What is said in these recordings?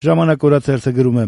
Ժամանակ օրաթերթը գրում է.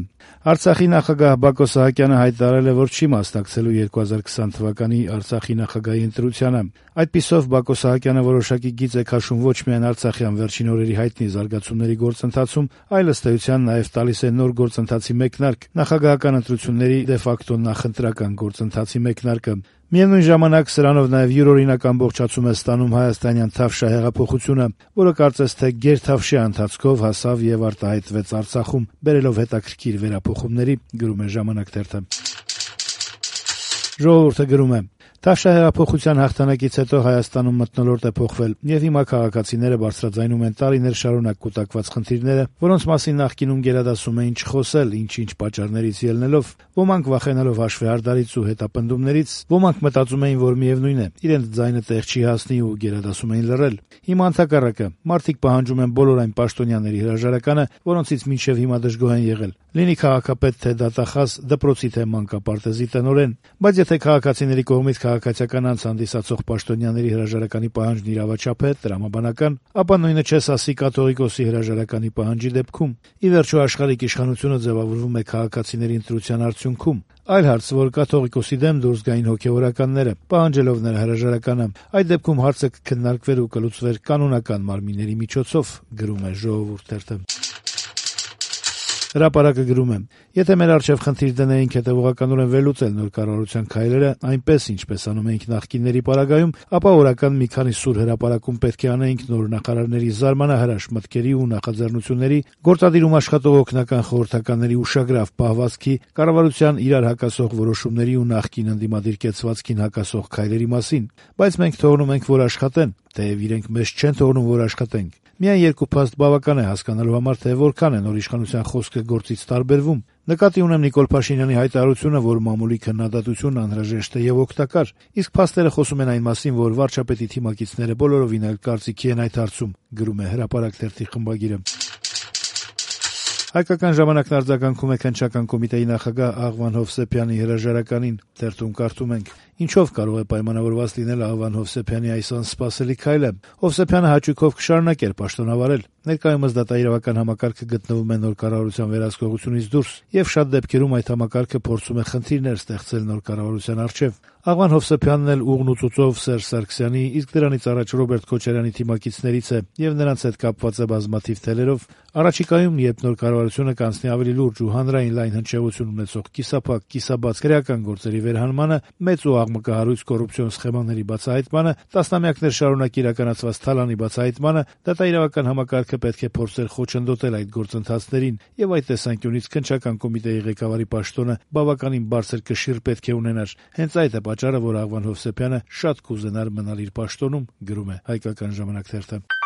Արցախի նախագահ Բակո Սահակյանը հայտարարել է, որ չի մասնակցելու 2020 թվականի Արցախի նախագահի ընտրությանը։ Այդպիսով Բակո Սահակյանը որոշակի գիծ է քաշում ոչ միայն արցախյան վերջին օրերի հայտնի զարգացումների գործընթացում, այլ ըստ էության նաև տալիս է նոր գործընթացի մեկնարկ, նախագահական ընտրությունների դե ֆակտո նախընտրական գործընթացի մեկնարկը։ Միևնույն ժամանակ սրանով նաև յուրօրինակ ամբողջացում է ստանում հայաստանյան Թավշյա հեղափոխությունը, որը կարծես թե գերթավշյա ընթացքով հասավ եւ արտահայտվեց Արցախում, բերելով հետաքրքիր վերափոխումների, գրում է «Ժամանակ» թերթը։ Ժողովուրդը գրում է. Թավշյա հեղափոխության հաղթանակից հետո Հայաստանում մթնոլորտ է փոխվել, եւ հիմա քաղաքացիները բարձրաձայնում են տարիներ շարունակ կուտակված խնդիրները, որոնց մասին նախկինում գերադասում էին չխոսել, ինչ-ինչ պատճառներից ելնելով, ոմանք վախենալով հաշվեհարդարից ու հետապնդումներից, ոմանք մտածում էին, որ միևնույն է, իրենց ձայնը տեղ չի հասնի ու գերադասում էին լռել։ Հիմա ընդհակառակը, մարդիկ պահանջում են բոլոր այն պաշտոնյաների հրաժարականը, որոնցից մինչև հիմա դժգոհ են եղել։ Լինի քաղաքապետ թե դատախազ, դպրոցի թե մանկապարտեզի տնօրեն, բայց եթե քաղաքացիների կողմից քաղաքացիական անձ հանդիսացող պաշտոնյաների հրաժարականի պահանջն իրավաչափ է, տրամաբանական, ապա նույնը չես ասի կաթողիկոսի հրաժարականի պահանջի դեպքում։ Ի վերջո աշխարհիկ իշխանությունը ձևավորվում է քաղաքացիների ընտրության արդյունքում։ Այլ հարց, որ կաթողիկոսի դեմ դուրս գային հոգեվորականները, պահանջելով նրա հրաժարականը, այդ դեպքում հարցը կքննարկվեր ու կլուծվեր կանոնական մարմինների միջոցով, գրում է «Ժողովուրդ» թերթը։ Հրապարակը գրում է. եթե մեր առջև խնդիր դնեինք հետևողականորեն վերլուծել նոր կառավարության քայլերը, այնպես ինչպես անում էինք նախկինների պարագայում, ապա օրական մի քանի սուր հրապարակում պետք է անեինք նոր նախարարների զարմանահրաշ մտքերի ու նախաձեռնությունների, գործադիրում աշխատող օգնական խորհրդականների ուշագրավ պահվածքի, կառավարության իրար հակասող որոշումների ու նախկին ընդդիմադիր կեցվածքին հակասող քայլերի մասին, բայց մենք թողնում ենք, որ աշխատեն, թեև իրենք մեզ չեն թողնում, որ աշխատենք։ Միայն երկու փաստ բավական է հասկանալու համար, թե որքան է նոր իշխանության խոսքը գործից տարբերվում։ Նկատի ունեմ Նիկոլ Փաշինյանի հայտարարությունը, որ մամուլի քննադատություն անհրաժեշտ է եւ օգտակար, իսկ փաստերը խոսում են այն մասին, որ վարչապետի թիմակիցները բոլորովին այլ կարծիքի են այդ հարցում, գրում է «Հրապարակ» թերթի խմբագիրը։ Հայկական ժամանակն արձագանքում է քննչական կոմիտեի նախագահ Աղվան Հովսեփյանի հրաժարականին, թերթում կարդում ենք. Ինչով կարող է պայմանավորված լինել Աղվան Հովսեփյանի այս անսպասելի քայլը։ Հովսեփյանը հաճույքով կշարունակեր պաշտոնավարել։ Ներկայումս դատաիրավական համակարգը գտնվում է նոր կառավարության վերահսկողությունից դուրս, եւ շատ դեպքերում այդ համակարգը փորձում է խնդիրներ ստեղծել նոր կառավարության առջեւ։ Աղվան Հովսեփյանն էլ ուղն ու ծուծով Սերժ Սարգսյանի, իսկ դրանից առաջ Ռոբերտ Քոչարյանի թիմակիցներից է եւ նրանց հետ կապված է բազմաթիվ թելերով։ Առաջիկայում, երբ նոր կառավարությունը կանցնի ավելի լուրջ ու հանրային լայն հնչեղություն ունեցող կիսափակ, կիսաբաց քրեական գործերի վերհանմանը, մեծ ու աղմկահարույց կոռուպցիոն սխեմաների բացահայտմանը, տասնամյակներ շարունակ իրականացված թալանի բացահայտմանը, դատաիրավական համակարգը պետք է փորձեր խոչընդոտել այդ գործընթացներին եւ այդ տեսանկյունից քննչական կոմիտեի ղեկավարի պաշտոնը բավականին բարձր կշիռ պետք է ունենար։ Հենց այդ է պատճառը, որ Աղվան Հովսեփյանը շատ կուզենար մնալ իր պաշտոնում, գրում է «Հայկական ժամանակ» թերթը։